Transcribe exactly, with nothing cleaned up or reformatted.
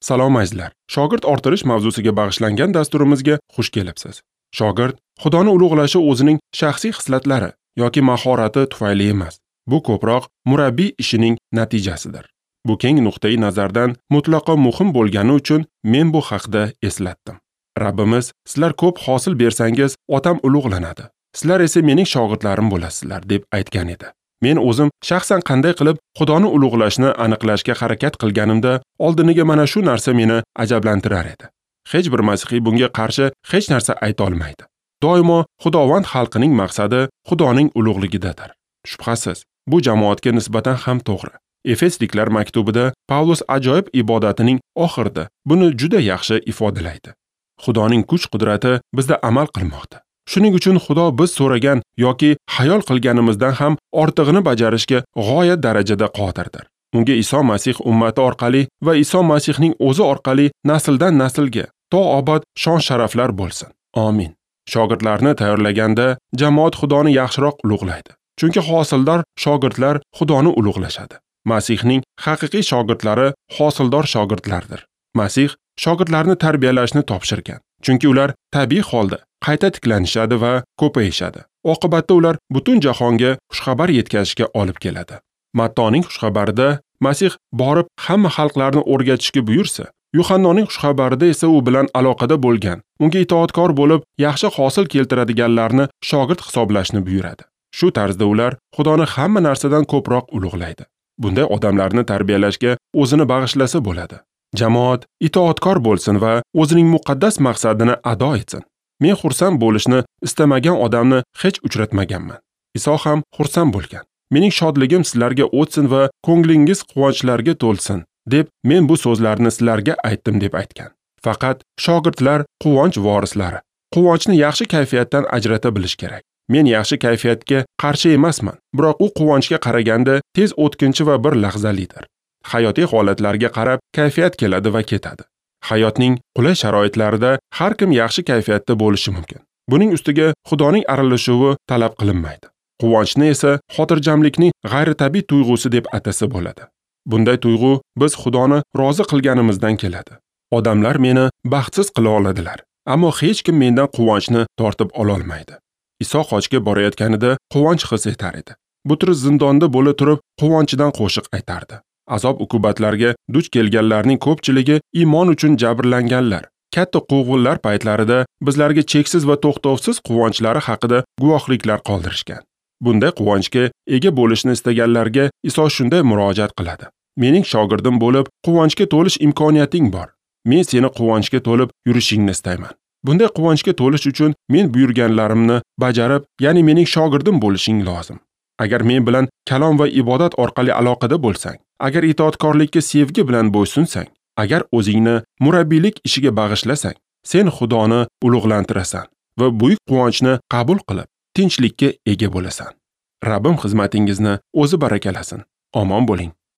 Salom azizlar. Shogird orttirish mavzusiga bag'ishlangan dasturimizga xush kelibsiz. Shogird Xudoni ulug'lashi o'zining shaxsiy xislatlari yoki mahorati tufayli emas. Bu ko'proq murabbiy ishining natijasidir. Bu keng nuqtai nazardan mutlaqo muhim bo'lgani uchun men bu haqda eslatdim. Rabbimiz, sizlar ko'p hosil bersangiz, otam ulug'lanadi. Sizlar esa mening shogirdlarim bo'lasizlar, deb aytgan edi. Men o'zim shaxsan qanday qilib Xudoni ulug'lashni aniqlashga harakat qilganimda, oldiniga mana shu narsa meni ajablantirar edi. Hech bir masihiy bunga qarshi hech narsa ayta olmaydi. Doimo Xudovand xalqining maqsadi Xudoning ulug'ligidadir. Shubhasiz, bu jamoatga nisbatan ham to'g'ri. Efesliklar maktubida Pavlus ajoyib ibodatining oxirida buni juda yaxshi ifodalaydi. Xudoning kuch-qudrati bizda amal qilmoqda. Shuning uchun Xudo biz so'ragan yoki xayol qilganimizdan ham ortig'ini bajarishga g'oyat darajada qodirdir. Unga Iso Masih ummati orqali va Iso Masihning o'zi orqali nasldan naslga to abad shon-sharaflar bo'lsin. Amin. Shogirdlarni tayyorlaganda jamoat Xudoni yaxshiroq ulug'laydi. Chunki hosildor shogirdlar Xudoni ulug'lashadi. Masihning haqiqiy shogirdlari hosildor shogirdlardir. Masih shogirdlarni tarbiyalashni topshirgan. Chunki ular tabiiy holda qayta tiklanishadi va ko'payishadi. Oqibatda ular butun jahonga xushxabar yetkazishga olib keladi. Mattoning xushxabarida Masih borib hamma xalqlarni o'rgatishga buyursa, Yuhannoning xushxabarida esa u bilan aloqada bo'lgan, unga itoatkor bo'lib, yaxshi hosil keltiradiganlarni shogird hisoblashni buyuradi. Shu tarzda ular Xudoni hamma narsadan ko'proq ulug'laydi. Bunday odamlarni tarbiyalashga o'zini bag'ishlasa bo'ladi. Jamoat itoatkor bo'lsin va o'zining muqaddas maqsadini ado etsin. Men xursand bo'lishni istamagan odamni hech uchratmaganman. Iso ham xursand bo'lgan. Mening shodligim sizlarga o'tsin va ko'nglingiz quvonchlarga to'lsin, deb men bu so'zlarni sizlarga aytdim, deb aytgan. Faqat shogirdlar quvonch vorislari. Quvonchni yaxshi kayfiyatdan ajrata bilish kerak. Men yaxshi kayfiyatga qarshi emasman, biroq u quvonchga qaraganda tez o'tkinchi va bir lahzalidir. Hayotiy holatlarga qarab kayfiyat keladi va ketadi. Hayotning qulay sharoitlarida har kim yaxshi kayfiyatda bo'lishi mumkin. Buning ustiga Xudoning aralashuvi talab qilinmaydi. Quvonchni esa xotirjamlikning g'ayritabiiy tuyg'usi deb atasa bo'ladi. Bunday tuyg'u biz Xudoni rozi qilganimizdan keladi. Odamlar meni baxtsiz qila oladilar, ammo hech kim mendan quvonchni tortib ola olmaydi. Iso xochga borayotganida quvonch his etar edi. Butrus zindonda bo'la turib quvonchidan qo'shiq aytardi. Azob-uqubatlarga duch kelganlarning ko'pchiligi iymon uchun jabrlanganlar. Katta quvg'inlar paytlarida bizlarga cheksiz va to'xtovsiz quvonchlari haqida guvohliklar qoldirishgan. Bunday quvonchga ega bo'lishni istaganlarga Iso shunday murojaat qiladi. Mening shogirdim bo'lib, quvonchga to'lish imkoniyating bor. Men seni quvonchga to'lib yurishingni istayman. Bunday quvonchga to'lish uchun men buyurganlarimni bajarib, ya'ni mening shogirdim bo'lishing lozim. Agar men bilan kalom va ibodat orqali aloqada bo'lsang, agar itoatkorlikka sevgi bilan bo'ysunsang, agar o'zingni murabbiylik ishiga bag'ishlasang, sen Xudoni ulug'lantirasan va buyuk quvonchni qabul qilib, tinchlikka ega bo'lasan. Rabbim xizmatingizni o'zi barakalasin. Omon bo'ling.